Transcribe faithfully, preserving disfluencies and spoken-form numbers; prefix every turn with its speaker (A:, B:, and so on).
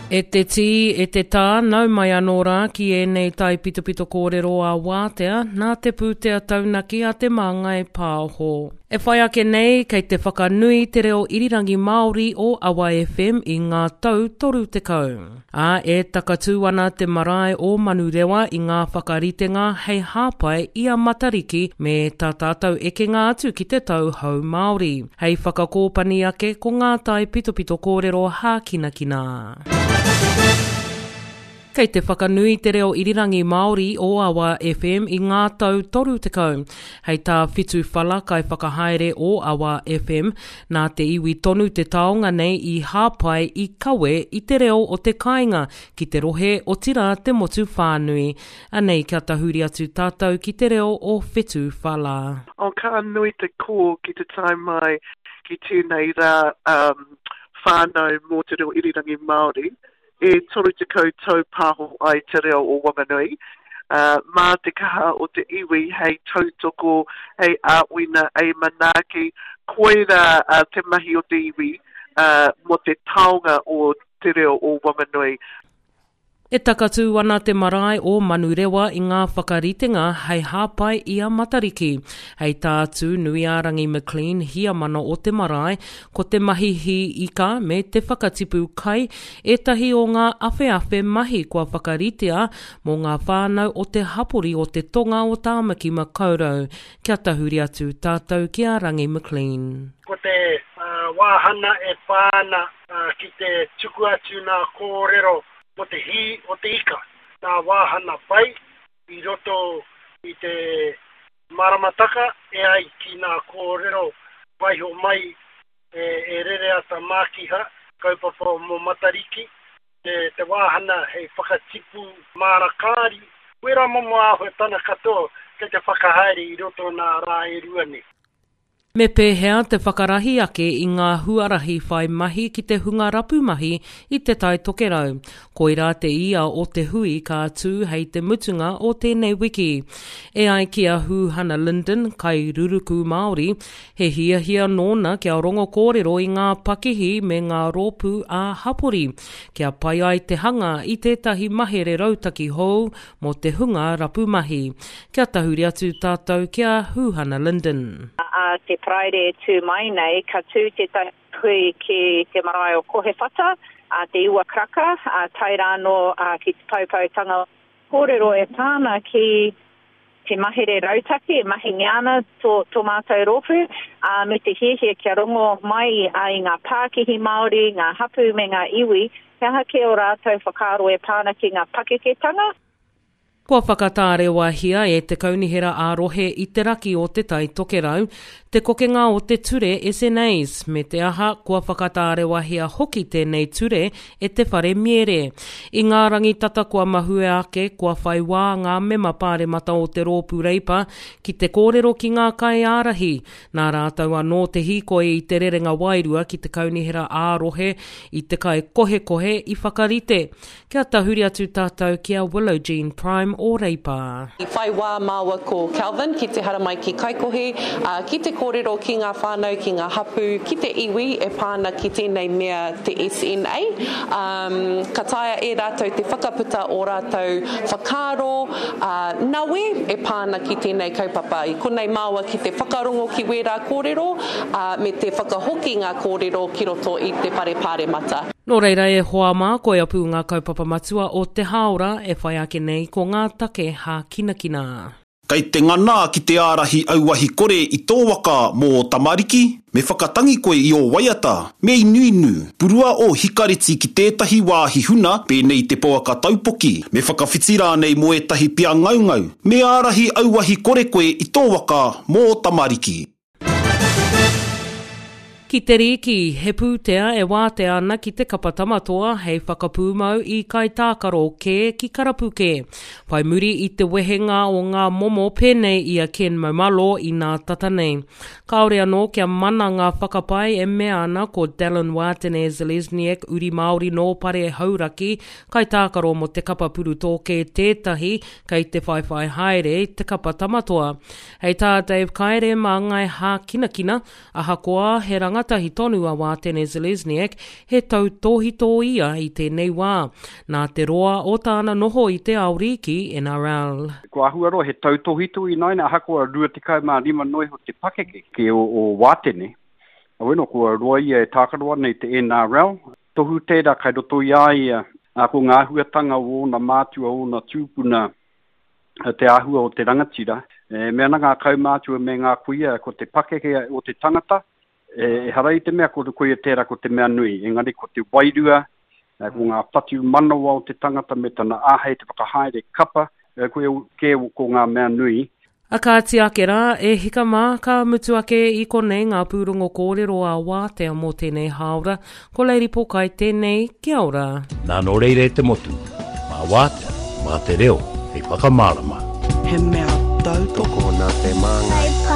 A: E te tī, e te tā, nau mai anō rā ki ēnei taipitopito kōrero a Wātea, nā te pūtea taunaki a Te Māngai Pāho. E whai ake nei, kei te whakanui te reo irirangi Māori o Awa F M i ngā tau toru tekau. Ā, e takatū ana te marae o Manurewa i ngā whakaritenga hei hāpai i a Matariki me tā tātou ekenga atu ki te tau hou Māori. Hei whakakōpani ake ko ngā taipitopito kōrero hākinakina. Kei te whakanui te reo irirangi Māori o Awa F M i ngā tau toru tekau. Hei tā Whitu Whala kai whakahaere o Awa F M, nā te iwi tonu te taonga nei i hāpai i kawe i te reo o te kāinga ki te rohe otirā te motu whānui. Anei kia tahuri atu tātou ki te reo o Whitu Whala.
B: O ka nui te kō ki te tae mai ki tēnei rā um, whānau mō te reo irirangi Māori e toru tekau tau pāho ai te reo o Wanganui. Uh, mā te kaha o te iwi hei tautoko, hei āwhina, hei manaaki, koira uh, te mahi o te iwi uh, mō te taonga o te reo o Wanganui.
A: E takatū ana te marae o Manurewa i ngā whakaritenga hei hāpai i a Matariki. Hei tā Tūnuiārangi McLean hiamana o te marae, ko te mahi hī ika me te whakatipu kai ētahi o ngā awheawhe mahi kua whakaritea mō ngā whānau o te hapori o te tonga o Tāmaki Makaurau. Kia tahuri atu tātou ki a Rangi McLean.
C: Ko te uh, wāhana e pā ana uh, ki te tuku atu nā kōrero o te hī o te ika. Nā wāhana pai i roto i te maramataka e ai ki nā kōrero waiho mai e, e rere ata mākiha, kaupapa mō Matariki, te, te wāhana hei whakatipu māra kāri, wera momo āhuatana katoa kei te whakahaere i roto nā rā e rua nei.
A: Me pēhea te whakarahi ake i ngā huarahi whai mahi ki te hunga rapu mahi i te Tai Tokerau. Koirā te ia o te hui ka tū hei te mutunga o tēnei wiki. E ai ki a Huhana Lyndon, kai ruruku Māori, he hiahia nōna kia rongo kōrero i ngā pakihi me ngā rōpū ā hapori, kia pai ai te hanga i tētahi mahere rautaki hou mō te hunga rapu mahi. Kia tahuri atu tātou ki a Huhana Lyndon.
D: A te Paraire e tū mai nei, ka tū tētahi hui ki te marae o Kohewhata, a te iwa karaka, a tae rānō a, ki te poupoutanga kōrero e pā ana ki te mahere rautaki e mahingia ana tō, tō mātou rōpū, a, me te hiahia kia rongo mai a, i ngā pākihi Māori, ngā hapū me ngā iwi, he aha kē o rātou whakaaro e pā ana ki ngā pakeketanga.
A: Kua whakatārewahia e te kaunihera ā-rohe i te raki o te Tai Tokerau, te kokenga o te ture S N As, me te aha kua whakatārewahia hoki tēnei ture e te whare miere. I ngā rangi tata kua mahue ake, kua whai wā ngā mema pāremata o te rōpū Reipa ki te kōrero ki ngā kaiārahi. Nā rātou anō te hīkoi i te rerenga wairua ki te kaunihera ā-rohe i te kai kohekohe i whakarite. Kia tahuri atu tātou ki a Willow Jean Prime o Reipa.
E: I whai wā māua ko Calvin ki te haramai ki Kaikohe, uh, ki te kōrero ki ngā whānau, ki ngā hapū, ki te iwi e pā ana ki tēnei mea te S N A. Um, ka taea e rātou te whakaputa o rātou whakaaro uh, nawe e pā ana ki tēnei kaupapa. I konei māua ki te whakarongo ki wērā kōrero uh, me te whakahoki ngā kōrero ki roto i te whare pāremata.
A: Nō reira e hoa mā, koia pū ngā kaupapa matua o te hāora e whai ake nei ko ngā take hākinakina.
F: Kei te ngana ki te ārahi auahi kore i tō waka mō ō tamariki, me whakatangi koe i ō waiata, me inuinu, purua ō hikareti ki tētahi wāhi huna pēnei i te pouaka taupoki, me whakawhiti rānei mō ētahi pia ngaungau, me ārahi auahi kore koe i tō waka mō ō tamariki.
A: Ki te rīki, he pūtea e wātea ana ki te kapa tamatoa hei whakapūmau i kaitākaro kē ki karapu kē. Whai muri i te wehenga o ngā momo pēnei i a Ken Maumalo i nā tata nei. Kāore anō kia mana ngā whakapae e mea ana ko Dallin Wātene Zelezniak uri Māori nō Pare Hauraki, kaitākaro mō te kapa purutōke tētahi kei te whaiwhai haere te kapa tamatoa. Hei tā Dave Kaere māngai hākinakina, ahakoa he rangatahi tonu a Wātene Zelezniak, he tautōhito ia i tēnei wā. Nā te roa o tāna noho i te ao rīki N R L.
G: Ko āhua roa he tautōhito ināiane, ahakoa rua tekau mā rima noa iho te pakeke ki o, o Wātene. Aueno, kua roa ia e tākaro ana i te N R L. Tohu tērā kai roto i a ia, ā, ko ngā āhuatanga o ōna mātua, ōna tūpuna, te āhua o te rangatira. E mea ana ngā kaumātua me ngā kuia, ko te pakeke o te tangata, ehara i te mea ko koia tērā ko te mea nui, engari ko te wairua, ko ngā whatumanawa o te tangata me tana āhei te whakahaere kapa, koia kē ko ngā mea nui.
A: A kāti ake rā, e hika mā, ka mutu ake i konei ngā pūrongo kōrero a Wātea mō tēnei hāora. Ko Lady Pokai tēnei, kia ora.
H: Nā nō reira e te motu, mā Wātea, mā te reo, hei whakamārama.
I: He mea tautoko.
J: Tokona te māngai.